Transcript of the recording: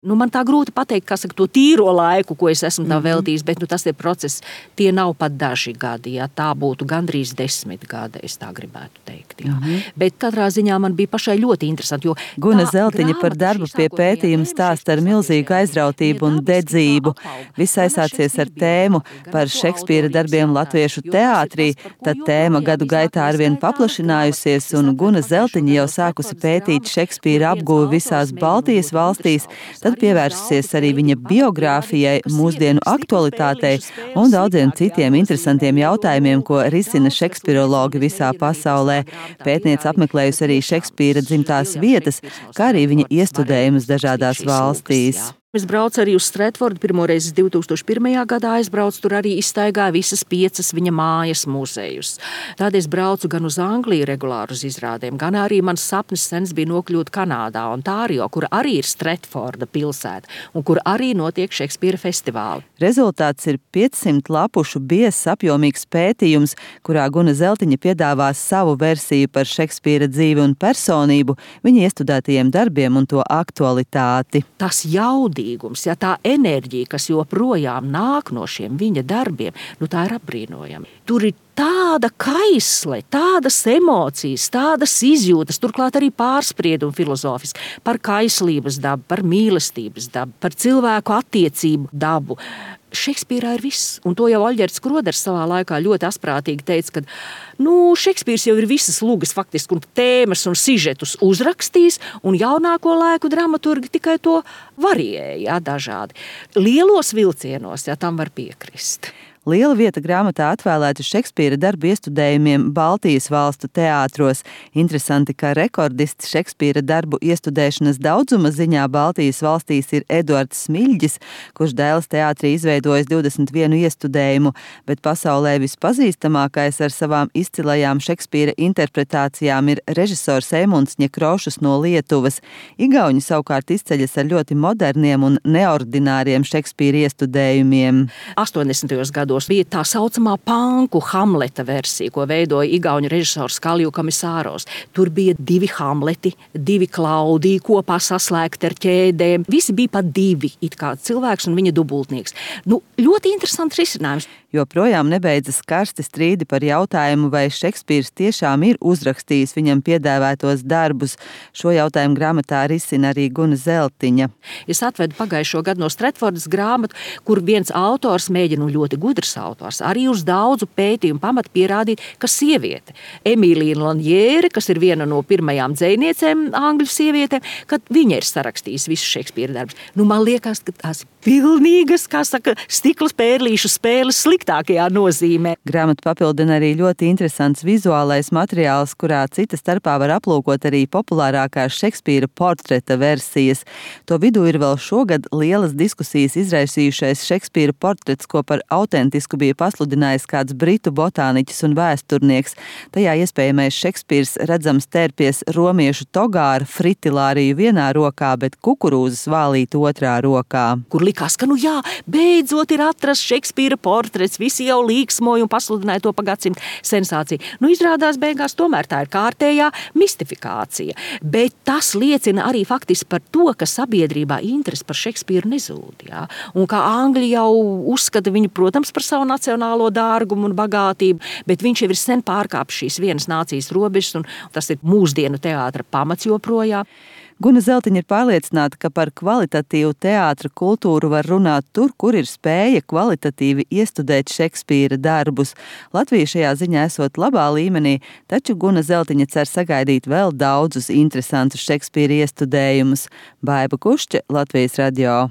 Man tā grūti pateikt, to tīro laiku, ko es esmu tā veltījis, bet tas ir process. Tie nav pat daži gadi, ja tā būtu gandrīz 10 gadi, es tā gribētu teikt. Jā. Bet katrā ziņā man bija pašai ļoti interesanti. Guna Zeltiņa par darbu pie pētījuma stāsta ar milzīgu aizrautību un dedzību. Viss aizsācies ar tēmu par Šekspīra darbiem latviešu teātrī, tad tēma gadu gaitā arvien paplašinājusies, un Guna Zeltiņa jau sākusi pētīt Šekspīra apguvi visās Baltijas valstīs, tad pievērsusies arī viņa biogrāfijai, mūsdienu aktualitātei un daudziem citiem interesantiem jautājumiem, ko risina šekspirologi visā pasaulē. Pētniece apmeklējusi arī Šekspīra dzimtās vietas, kā arī viņa iestudējumus dažādās valstīs. Es braucu arī uz Stretfordu, pirmoreiz 2001. gadā aizbraucu, tur arī izstaigāju visas 5 viņa mājas muzejus. Tad es braucu gan uz Angliju regulāri uz izrādēm, gan arī mans sapnis sens bija nokļūt Kanādā, Ontārio, kur arī ir Stretforda pilsēta un kur arī notiek Šekspīra festivāli. Rezultāts ir 500 lapušu biezs apjomīgs pētījums, kurā Guna Zeltiņa piedāvās savu versiju par Šekspīra dzīvi un personību, viņa iestudētajiem darbiem un to aktualitāti. Tas ja tā enerģija, kas joprojām nāk no šiem viņa darbiem, tā ir apbrīnojama. Tur ir tāda kaisle, tādas emocijas, tādas izjūtas, turklāt arī pārspriedumi filozofiski par kaislības dabu, par mīlestības dabu, par cilvēku attiecību dabu. Šekspīrā ir viss, un to jau Aļģerts Kroders savā laikā ļoti asprātīgi teica, ka Šekspīrs jau ir visas lugas faktiski un tēmas un sižetus uzrakstījis, un jaunāko laiku dramaturgi tikai to variēja dažādi. Lielos vilcienos, tam var piekrist. Liela vieta grāmatā atvēlēta Šekspīra darbu iestudējumiem Baltijas valstu teātros. Interesanti, ka rekordists Šekspīra darbu iestudēšanas daudzuma ziņā Baltijas valstīs ir Eduards Smiļģis, kurš Dailes teātrī izveidojis 21 iestudējumu, bet pasaulē vispazīstamākais ar savām izcilajām Šekspīra interpretācijām ir režisors Eimunds Ņekrošus no Lietuvas. Igauņi savukārt izceļas ar ļoti moderniem un neordināriem Šekspīra iestudējumiem. 80. gados bija tā saucamā panku Hamleta versija, ko veidoja igauņu režisors Kalju Komisāros. Tur bija 2 Hamleti, 2 Klaudiji kopā saslēgti ar ķēdēm. Visi bija pat 2, it kā cilvēks un viņa dubultnieks. Ļoti interesants risinājums. Joprojām nebeidzas karsti strīdi par jautājumu, vai Šekspīrs tiešām ir uzrakstījis viņam piedāvātos darbus. Šo jautājumu grāmatā risina arī Guna Zeltiņa. Es atvedu pagājušo gadu no Stretfordas grāmatu, kur viens autors mēģina, ļoti gudrs autors, arī uz daudzu pētījumu pamatu pierādīt, ka sieviete, Emīlija Lanjēre, kas ir viena no pirmajām dzejniecēm angļu sievietēm, kad viņa ir sarakstījusi visus Šekspīra darbus. Man liekas, ka tās ir pilnīgas, stikla pērlīšu spēles sliktākajā nozīmē. Grāmatu papildina arī ļoti interesants vizuālais materiāls, kurā cita starpā var aplūkot arī populārākās Šekspīra portreta versijas. To vidū ir vēl šogad lielas diskusijas izraisījušais Šekspīra portrets, ko par autentisku bija pasludinājis kāds britu botāniķis un vēsturnieks. Tajā iespējamais Šekspīrs redzams tērpies romiešu togā ar fritilāriju vienā rokā, bet kukurūzas vālīt otrā rokā. Kur likās, ka beidzot ir atrasts Šekspīra portrets, visi jau līksmoja un pasludināja to pa gadsimtu sensāciju. Izrādās beigās tomēr tā ir kārtējā mistifikācija. Bet tas liecina arī faktiski par to, ka sabiedrībā interese par Šekspīru nezūd. Ja? Un kā Angļi jau uzskata viņu, protams, par savu nacionālo dārgumu un bagātību, bet viņš jau ir sen pārkāpis šīs vienas nācijas robežas, un tas ir mūsdienu teātra pamats joprojām. Guna Zeltiņa ir pārliecināta, ka par kvalitatīvu teātra kultūru var runāt tur, kur ir spēja kvalitatīvi iestudēt Šekspīra darbus. Latvija šajā ziņā esot labā līmenī, taču Guna Zeltiņa cer sagaidīt vēl daudzus interesantus Šekspīra iestudējumus. Baiba Kušķe, Latvijas radio.